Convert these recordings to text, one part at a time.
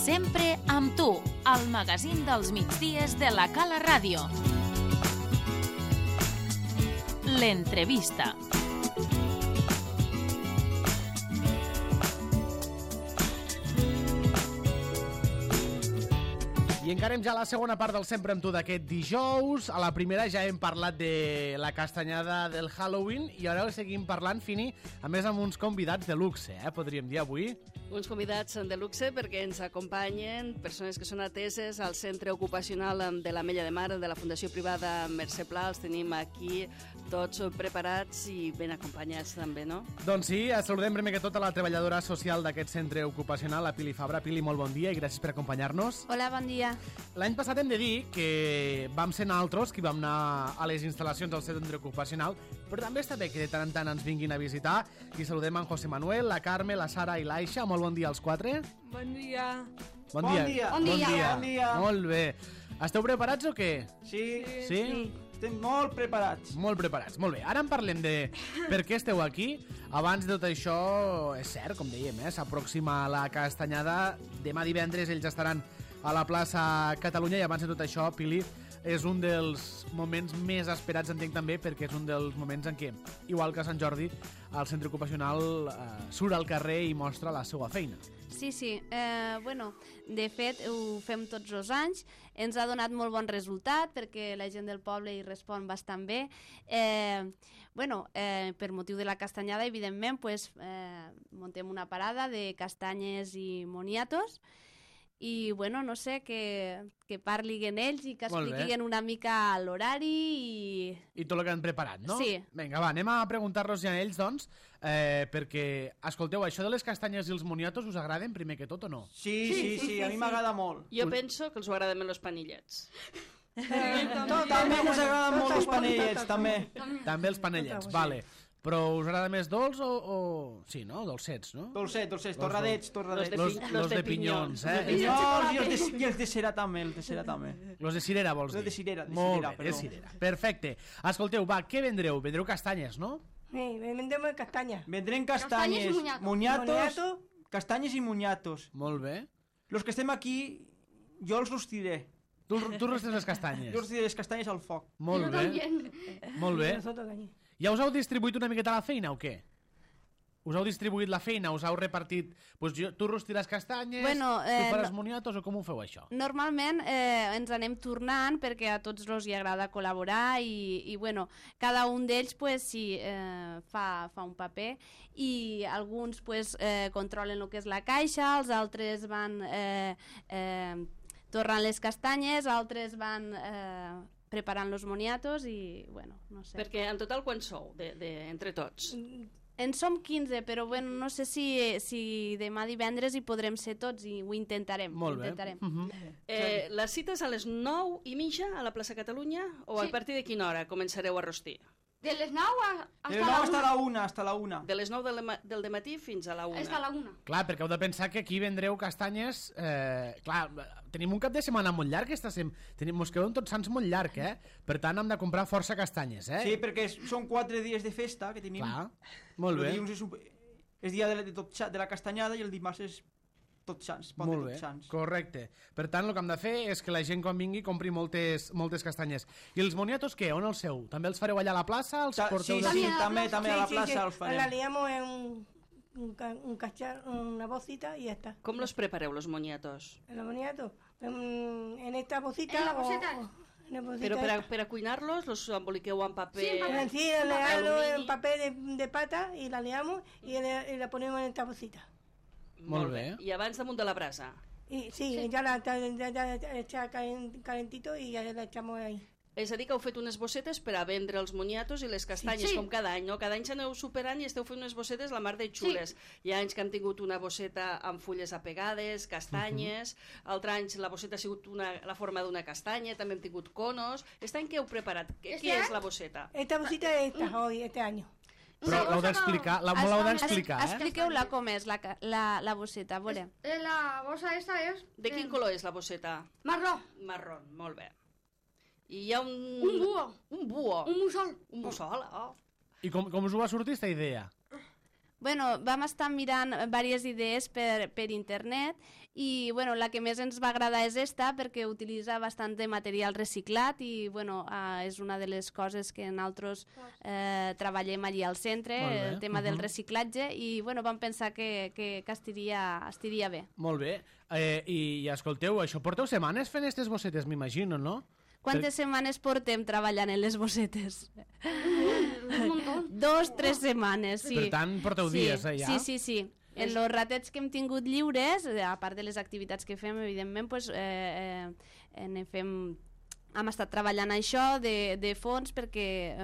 Sempre amb tu, al magazín dels migdies de la Cala Ràdio. L'entrevista. I encarem ja la segona part del Sempre amb tu d'aquest dijous. A la primera ja hem parlat de la castanyada del Halloween i ara seguim parlant, Fini, a més amb uns convidats de luxe, podríem dir avui. Uns convidats de luxe perquè ens acompanyen persones que són ateses al Centre Ocupacional de l'Ametlla de Mar de la Fundació Privada Mercè Pla. Els tenim aquí tots preparats i ben acompanyats també, no? Doncs sí, saludem primer que tot a la treballadora social d'aquest centre ocupacional, la Pili Fabra. Pili, molt bon dia i gràcies per acompanyar-nos. Hola, bon dia. L'any passat hem de dir que vam ser nosaltres qui vam anar a les instal·lacions del centre ocupacional, però també està bé que de tant en tant ens vinguin a visitar. I saludem en José Manuel, la Carme, la Sara i l'Aixa. Molt bon dia als quatre. Bon dia. Bon dia. Bon dia. Molt bé. Esteu preparats o què? Sí. Sí? Estem molt preparats. Molt preparats, molt bé. Ara en parlem de per què esteu aquí. Abans de tot això, és cert, com dèiem, s'aproxima la castanyada. Demà divendres ells estaran a la plaça Catalunya i abans de tot això, Pili, és un dels moments més esperats, entenc també, perquè és un dels moments en què, igual que a Sant Jordi, el centre ocupacional surt al carrer i mostra la seva feina. Sí. De fet, ho fem tots els anys. Ens ha donat molt bon resultat perquè la gent del poble hi respon bastant bé. Per motiu de la castanyada, evidentment, muntem una parada de castanyes i moniatos i, no sé, que parlin ells i que expliquin una mica l'horari i tot el que han preparat, no? Sí. Vinga, va, anem a preguntar-los ja a ells, doncs, perquè, escolteu, això de les castanyes i els moniatos us agraden primer que tot o no? Sí, a mi m'agrada molt. Jo penso que els agraden més els panillets. També ens agraden molt els panellets, també. També els panellets, vale. Però us agrada més dolç o... Sí, no? Dolcets, no? Dolcets, torradets. Los de pinyons, Pinyons i els de cera també, Los de cirera, vols dir? Los de cirera, Molt bé, de cirera. Perfecte. Escolteu, va, què vendreu? Vendreu castanyes, no? Sí, vendrem castanyes. Vendrem castanyes, moniatos, castanyes i moniatos. Molt bé. Los que estem aquí, jo els rostiré. Tu rostres les castanyes? Jo rostiré les castanyes al foc. Molt bé. Molt bé. Ja us heu distribuït una miqueta la feina o què? Us heu distribuït la feina? Us heu repartit... Tu rostiràs castanyes, tu faràs moniatos o com ho feu això? Normalment ens anem tornant perquè a tots els hi agrada col·laborar i cada un d'ells fa un paper i alguns controlen el que és la caixa, els altres van tornant les castanyes, altres van... preparant los moniatos i, no sé. Perquè en total quan sou, entre tots? En som 15, però no sé si demà divendres hi podrem ser tots i ho intentarem. Molt bé. La cita és a les 9:30 a la plaça Catalunya o a partir de quina hora començareu a rostir? De les 9 hasta la 1. De les 9 del dematí fins a la 1. Hasta la 1. Clar, perquè heu de pensar que aquí vendreu castanyes... Clar, tenim un cap de setmana molt llarg, mos queda un Tots Sants molt llarg, Per tant, hem de comprar força castanyes, Sí, perquè són 4 dies de festa que tenim. Clar, molt bé. El dilluns és dia de la castanyada i el dimarts és Tots Sants, pont de Tots Sants. Correcte. Per tant, el que hem de fer és que la gent quan vingui compri moltes castanyes. I els moniatos què? On els seu? També els fareu allà a la plaça? Sí, també a la plaça els farem. La liamos en una bolsita y ya está. Com los prepareu, los moniatos? Los moniatos en esta bolsita. En la bolsita. Però per a cuinar-los los emboliqueu en paper... Sí, le damos en papel de pata y la liamos y la ponemos en esta bolsita. Molt bé. I abans damunt de la brasa? Sí, ya está calentito y ya la echamos ahí. És a dir, que heu fet unes bossetes per a vendre els moniatos i les castanyes, com cada any, no? Cada any s'aneu superant i esteu fent unes bossetes la mar de xules. Hi ha anys que han tingut una bosseta amb fulles apegades, castanyes, altres anys la bosseta ha sigut la forma d'una castanya, també hem tingut conos. Aquest any què heu preparat? Què és la bosseta? Esta bosseta es este año. Però l'heu d'explicar, Expliqueu-la com és la bosseta, a veure. La bossa esta és... De quin color és la bosseta? Marró. Marró, molt bé. I hi ha un... Un búho. Un búho. Un mussol. Un mussol, oh. I com us ho va sortir aquesta idea? Bueno, vam estar mirant diverses idees per internet i bueno, la que més ens va agradar és esta perquè utilitza bastant de material reciclat i bueno, és una de les coses que nosaltres treballem allí al centre, el tema del reciclatge i bueno, vam pensar que estiria bé. Molt bé. I escolteu, això porteu setmanes fent aquestes bossetes, m'imagino, no? Quantes setmanes portem treballant en les bossetes? Un montón. 2-3 setmanes, sí. Per tant, porteu dies, ja? Sí. En els ratets que hem tingut lliures, a part de les activitats que fem, evidentment, pues, hem estat treballant això de fons perquè,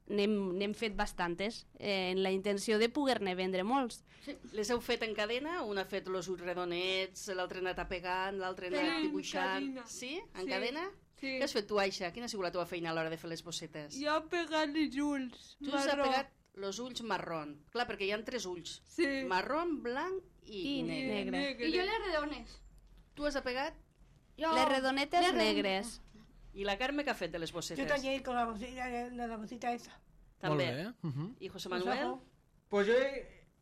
n'hem fet bastantes, en la intenció de poder-ne vendre molts. Sí. Les heu fet en cadena? Un ha fet els ulls redonets, l'altre ha anat apegant, l'altre ha anat dibuixant... Sí? En cadena? Sí. Què has fet tu, Aixa? Quina ha sigut la teva feina a l'hora de fer les bossetes? Jo he pegat els ulls Tu has pegat els ulls marrón. Clar, perquè hi ha 3 ulls. Sí. Marrón, blanc i negre. Y yo les redones. Tu has apegat? Les redonetes negres. I la Carme què ha fet de les bossetes? Yo también con la bolsita esa. També. I José Manuel? Pues jo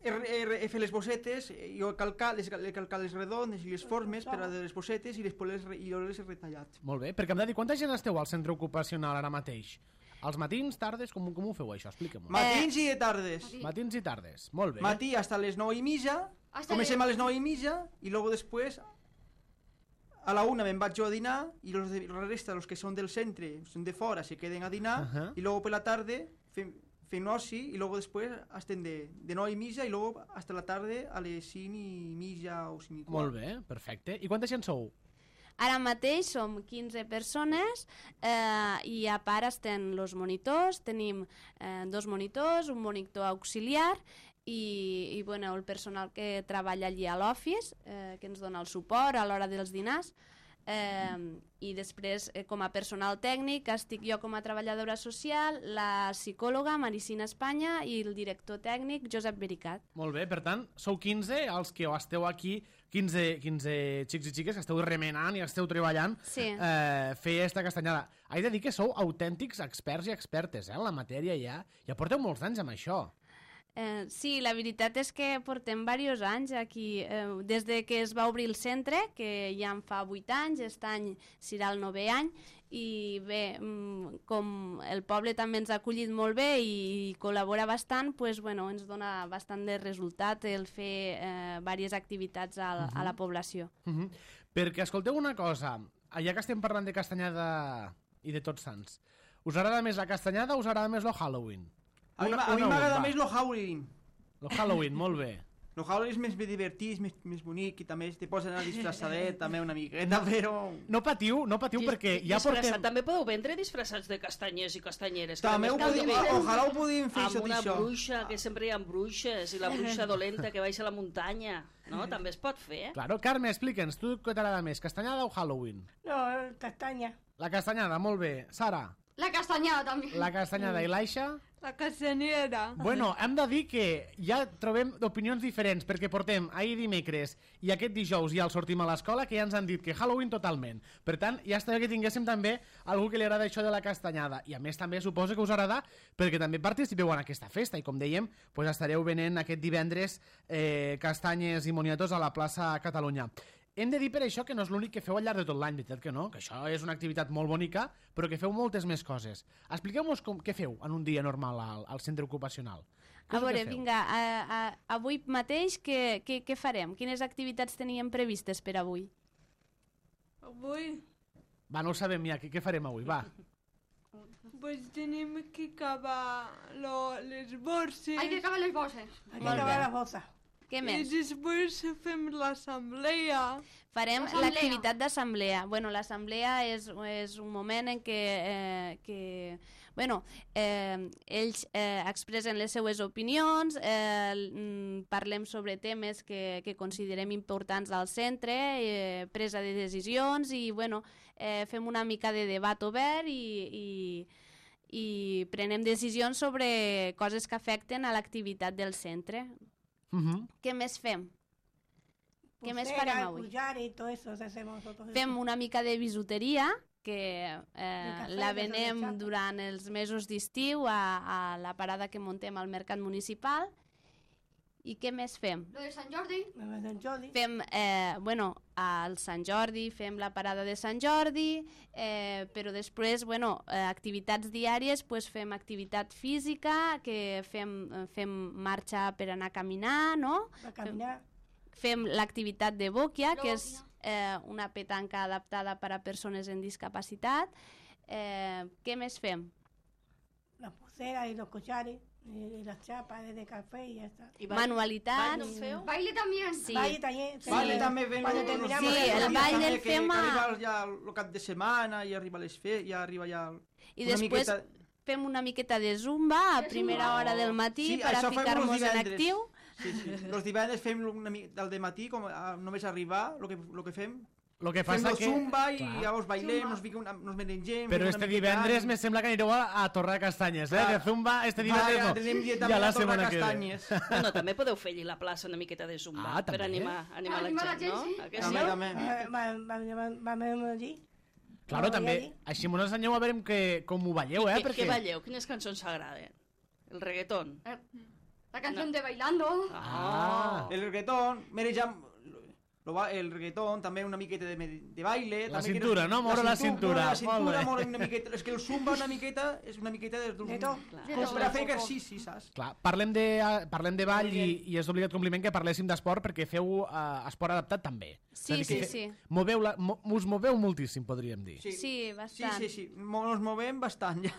he fet les bossetes, jo he calcat les redones i les formes per a les bossetes i després jo les he retallat. Molt bé, perquè em de dir, quanta gent esteu al centre ocupacional ara mateix? Els matins, tardes, com ho feu això? Explica-m'ho. Matins i tardes. Matins i tardes, molt bé. Matí hasta les 9:30, comencem a les 9:30 i luego després a la 1 me'n vaig jo a dinar i la resta, els que són del centre, són de fora, se queden a dinar i luego per la tarde fem oci i luego després estem de 9:30 i luego hasta la tarde a les 5:30 o 5:15. Molt bé, perfecte. I quanta gent sou? Ara mateix som 15 persones i a part estem els monitors, tenim 2 monitors, un monitor auxiliar i bueno, el personal que treballa allí a l'office, que ens dona el suport a l'hora dels dinars. I després com a personal tècnic estic jo com a treballadora social, la psicòloga Maricina Espanya i el director tècnic Josep Vericat. Molt bé, per tant, sou 15 els que esteu aquí, 15 xics i xiques que esteu remenant i esteu treballant fer esta castanyada. He de dir que sou autèntics experts i expertes en la matèria ja porteu molts anys amb això. Sí, la veritat és que portem diversos anys aquí, des de que es va obrir el centre, que ja en fa 8 anys, aquest any serà el 9è any, i bé, com el poble també ens ha acollit molt bé i col·labora bastant, pues, bueno, ens dona bastant de resultat el fer diverses activitats a la població. Perquè escolteu una cosa, ja que estem parlant de castanyada i de Tots Sants, us agrada més la castanyada o us agrada més el Halloween? A mi m'agrada més el Halloween. El Halloween, molt bé. El Halloween és més divertit, més bonic i també te pots anar disfressadet també una miqueta, però... No patiu perquè ja portem... També podeu vendre disfressats de castanyers i castanyeres. També ojalà ho podíem fer això d'això. Amb una bruixa, que sempre hi ha bruixes, i la bruixa dolenta que baixa a la muntanya. No? També es pot fer, Claro, Carme, explica'ns, tu què t'agrada més, castanyada o Halloween? No, castanya. La castanyada, molt bé. Sara? La castañada también. La castanyada i l'Aixa? La castanera. Bueno, hem de dir que ja trobem opinions diferents, perquè portem ahir dimecres i aquest dijous ja el sortim a l'escola, que ja ens han dit que Halloween totalment. Per tant, ja està bé que tinguéssim també algú que li agrada això de la castanyada. I a més també suposo que us agrada perquè també participeu en aquesta festa i com dèiem, pues estareu venent aquest divendres castanyes i moniatos a la plaça Catalunya. Hem de dir per això que no és l'únic que feu al llarg de tot l'any, veritat que no? Que això és una activitat molt bonica, però que feu moltes més coses. Expliqueu-nos què feu en un dia normal al centre ocupacional. A veure, vinga, avui mateix què farem? Quines activitats teníem previstes per avui? Avui? Va, no ho sabem ja, què farem avui, va. Pues tenim que acabar les borses. Hay que acabar les bosses. Hay que acabar les bosses. Què més? I després fem l'assemblea. Farem l'activitat d'assemblea. Bueno, l'assemblea és un moment en què ells expressen les seues opinions, parlem sobre temes que considerem importants al centre, presa de decisions i bueno, fem una mica de debat obert i prenem decisions sobre coses que afecten a l'activitat del centre. Què més fem? Què més farem avui? Pullar y todo eso hacemos nosotros. Fem una mica de bisuteria, que cafè, la de venem xapa. durant els mesos d'estiu a la parada que muntem al Mercat Municipal. I què més fem? Lo de Sant Jordi. Me va Jordi. Fem, al Sant Jordi, fem la parada de Sant Jordi, però després, activitats diàries, pues fem activitat física, que fem marxa per anar a caminar, no? Va caminar. Fem l'activitat de bòquia, que és una petanca adaptada per a persones amb discapacitat. Què més fem? La pulsera y los collares y las chapas de café y ya está. Manualitats. Ball no feu? Baile también. Sí. Baile también. Baile també fem Cuando los terminamos Sí, de el caminar, ball també del que fem arriba ja el cap de setmana i arriba les ja arriba ja I una després miqueta... fem una miqueta de zumba a primera hora del matí Sí, per a això fem ficar-nos los en divendres. actiu. Sí. Los divendres fem al dematí, com només arribar, lo que fem. Lo que Fem passa el que... zumba i Clar. llavors bailem, nos merengem... Però fem este una miqueta divendres d'ànim. me sembla que anireu a Torre de Castanyes, Clar. De Zumba este divendres no. Anem Ja també la a Torre setmana que ve. Castanyes. Bueno, també podeu fer allí a la plaça una miqueta de zumba per també. animar Animar la la gent, gent, no? sí. A que També, sí? també. Vamos allí. Claro, també. allí. Així mos ensenyeu a veure com ho balleu, Què perquè... balleu? Quines cançons s'agraden? El reggaeton? La canción de Bailando. Ah. El reggaetón, merejam... El reggaetón, també una miqueta de baile... La també que cintura, no? Moure la cintura. La cintura, Molt bé. moure una miqueta... És que el zumba una miqueta és una miqueta de tot. Com per a fer exercici, saps? Clar, parlem de ball i és d'obligat compliment que parléssim d'esport perquè feu esport adaptat també. Sí, És a dir, que sí. us moveu moltíssim, podríem dir. Sí, bastant. Sí. Ens movem bastant, ja.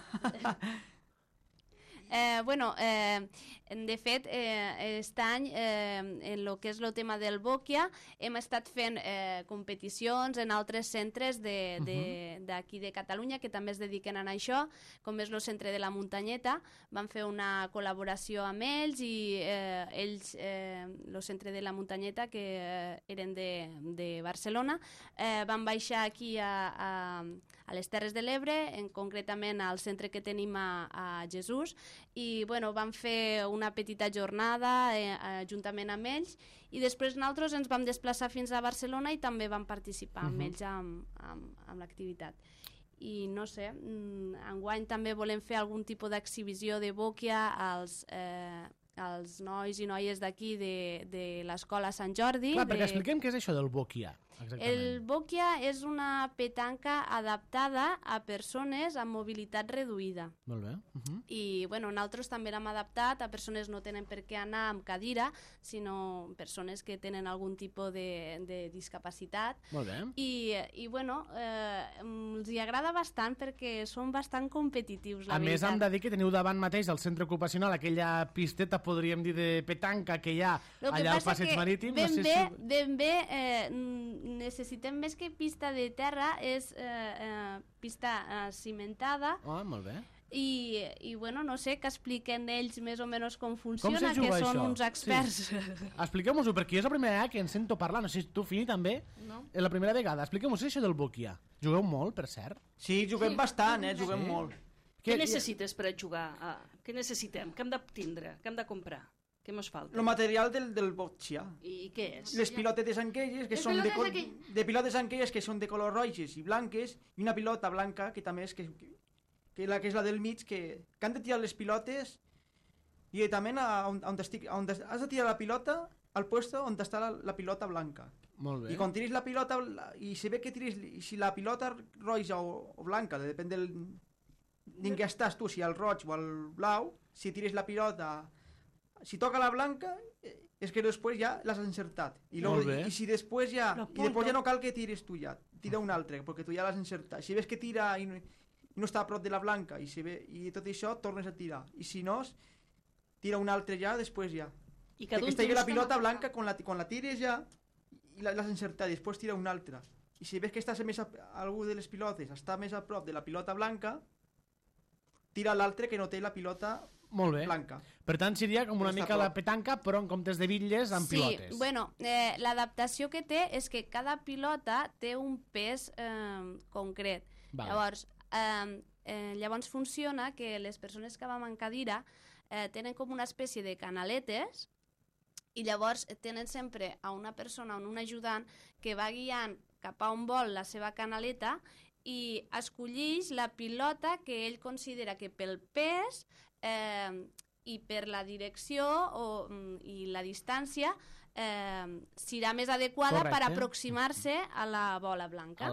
De fet, aquest any, en el que és el tema del bòquia, hem estat fent competicions en altres centres d'aquí de Catalunya que també es dediquen a això, com és el centre de la Muntanyeta. Vam fer una col·laboració amb ells i ells, el centre de la Muntanyeta, que eren de Barcelona, van baixar aquí a les Terres de l'Ebre, concretament al centre que tenim a Jesús, i vam fer una petita jornada juntament amb ells i després nosaltres ens vam desplaçar fins a Barcelona i també vam participar amb ells amb l'activitat. I no sé, enguany també volem fer algun tipus d'exhibició de bòquia als nois i noies d'aquí de l'escola Sant Jordi. Clar, perquè expliquem què és això del bòquia. El bòquia és una petanca adaptada a persones amb mobilitat reduïda. Molt bé. I nosaltres també l'hem adaptat a persones que no tenen per què anar amb cadira, sinó persones que tenen algun tipus de discapacitat. Molt bé. I els hi agrada bastant perquè són bastant competitius, la A més, veritat. hem de dir que teniu davant mateix al centre ocupacional aquella pisteta, podríem dir, de petanca que hi ha allà al passeig marítim. Ben bé, necessitem més que pista de terra, és pista cimentada. Molt bé. I no sé, que expliquen ells més o menys com funciona, juga que són això? uns experts. Sí. Expliqueu-nos-ho, perquè és la primera vegada que en sento parlar. No sé si tu, Fini, també? No. És la primera vegada. Expliqueu-nos això del bòquia. Jugueu molt, per cert? Sí, juguem bastant, juguem molt. Què necessites per a jugar? Què necessitem? Què hem de tindre? Què hem de comprar? Què ens falta? El material del bòquia. I què és? Les pilotetes aquelles que són de pilotes aquelles que són de color roges i blanques i una pilota blanca que també és que és la del mig que han de tirar les pilotes i també on has de tirar la pilota al puesto on està la pilota blanca. Molt bé. I quan tiris la pilota i si ve que tiris si la pilota roja o blanca, depèn d'en què estàs tu, si al roig o al blau, si tires la pilota si toca la blanca és que després ja l'has encertat i si després ja no cal que tires tu ja, tira un altre perquè tu ja l'has encertat, si ves que tira i no està a prop de la blanca i tot això tornes a tirar i si no, tira un altre ja després ja que estigui la pilota blanca quan la tires ja i l'has encertat i després tira una altra i si ves que estàs algú de les pilotes està més a prop de la pilota blanca tira l'altre que no té la pilota molt bé. Blanca. Per tant, seria com una mica la petanca, però en comptes de bitlles, amb pilotes. Sí, l'adaptació que té és que cada pilota té un pes concret. Llavors funciona que les persones que vam en cadira tenen com una espècie de canaletes i llavors tenen sempre a una persona o un ajudant que va guiant cap a on vol la seva canaleta i escollix la pilota que ell considera que pel pes i per la direcció i la distància serà més adequada per aproximar-se a la bola blanca.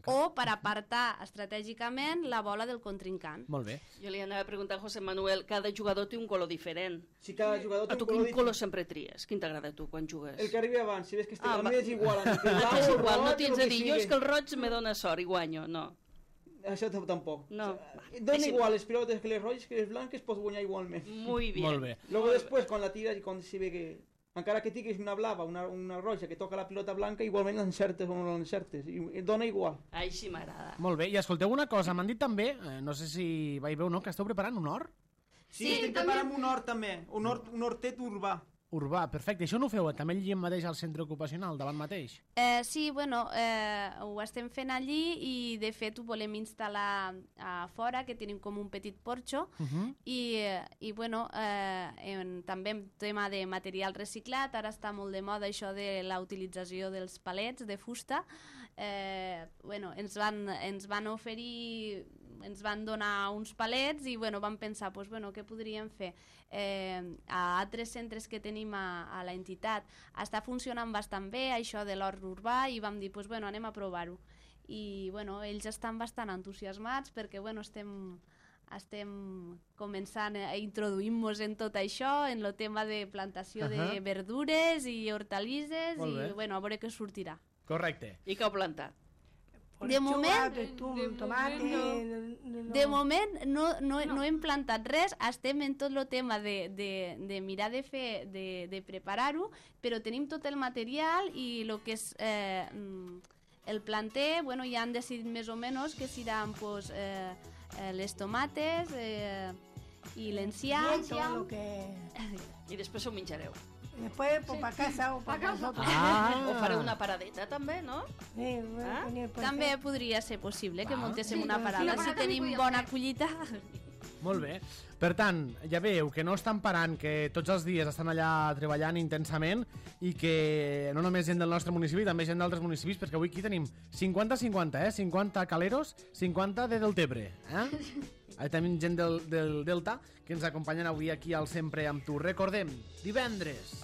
O per apartar estratègicament la bola del contrincant. Molt bé. Jo li anava a preguntar a José Manuel, cada jugador té un color diferent. Sí, cada jugador té un color diferent. Quin color sempre tries? Quin t'agrada a tu quan jugues? El que arribi abans, si ves que el meu és igual. És igual, no tens a dir, jo és que el roig me dona sort i guanyo, no. Això tampoc. No. Dona igual les pilotes que les roges que les blanques, pots guanyar igualment. Muy bien. Molt bé. Luego després, quan la tiras i quan se ve que... Encara que tinguis una blava, una roja que toca la pilota blanca, igualment l'encertes o no l'encertes. I dona igual. Així m'agrada. Molt bé, i escolteu una cosa, m'han dit també, no sé si veieu o no, que esteu preparant un hort? Sí, estem preparant un hort també, un hortet urbà. Urbà, perfecte. Això no ho feu també allí mateix al centre ocupacional, davant mateix? Sí, bueno, ho estem fent allí i de fet ho volem instal·lar a fora, que tenim com un petit porxo i bueno, també en tema de material reciclat, ara està molt de moda això de la utilització dels palets de fusta. Bueno, ens van oferir, ens van donar uns palets i bueno, vam pensar, pues, bueno, què podríem fer? A altres centres que tenim a la entitat està funcionant bastant bé això de l'hort urbà i vam dir, pues, bueno, anem a provar-ho. I bueno, ells estan bastant entusiasmats perquè bueno, estem començant a introduir-nos en tot això, en el tema de plantació de verdures i hortalisses i bueno, a veure què sortirà. Correcte. I què heu plantat? De moment no hem plantat res, estem en tot el tema de mirar de fer, de preparar-ho, però tenim tot el material i el que és el planter, bueno, ja han decidit més o menys que seran pues, les tomates i l'encià. I després ho menjareu. Después, pues, para casa o para nosotros. O fareu una paradeta, també, no? Sí, també podria ser possible que muntéssim una parada, si tenim bona collita. Molt bé. Per tant, ja veieu que no estan parant, que tots els dies estan allà treballant intensament i que no només gent del nostre municipi, també gent d'altres municipis, perquè avui aquí tenim 50-50, 50 caleros, 50 de Deltebre. Tenim gent del Delta que ens acompanyen avui aquí al Sempre amb tu. Recordem, divendres,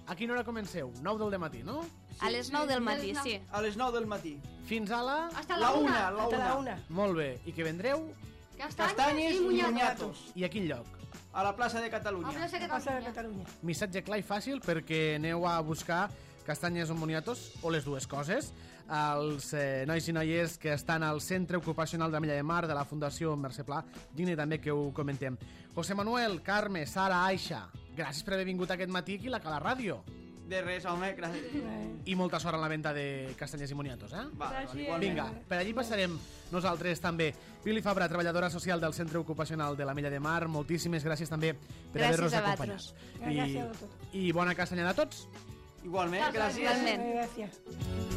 a quina hora comenceu? 9 del matí, no? A les 9 del matí, sí. A les 9 del matí. Fins a la... Hasta la una. Molt bé. I que vendreu? Castanyes i moniatos. I a quin lloc? A la plaça de Catalunya. A la plaça de Catalunya. Missatge clar i fàcil perquè aneu a buscar castanyes o moniatos, o les dues coses. Els nois i noies que estan al Centre Ocupacional de la Milla de Mar de la Fundació Mercè Pla, digne també que ho comentem. José Manuel, Carme, Sara, Aixa, gràcies per haver vingut aquest matí aquí a la Ràdio. De res, home, gràcies. I molta sort en la venda de castanyes i moniatos, eh? Gràcies. Vinga, per allí passarem nosaltres també. Pili Fabra, treballadora social del Centre Ocupacional de la Milla de Mar, moltíssimes gràcies també per haver-nos acompanyat. Gràcies a tots. I bona castanyada a tots. Igualment, gràcies. Gràcies.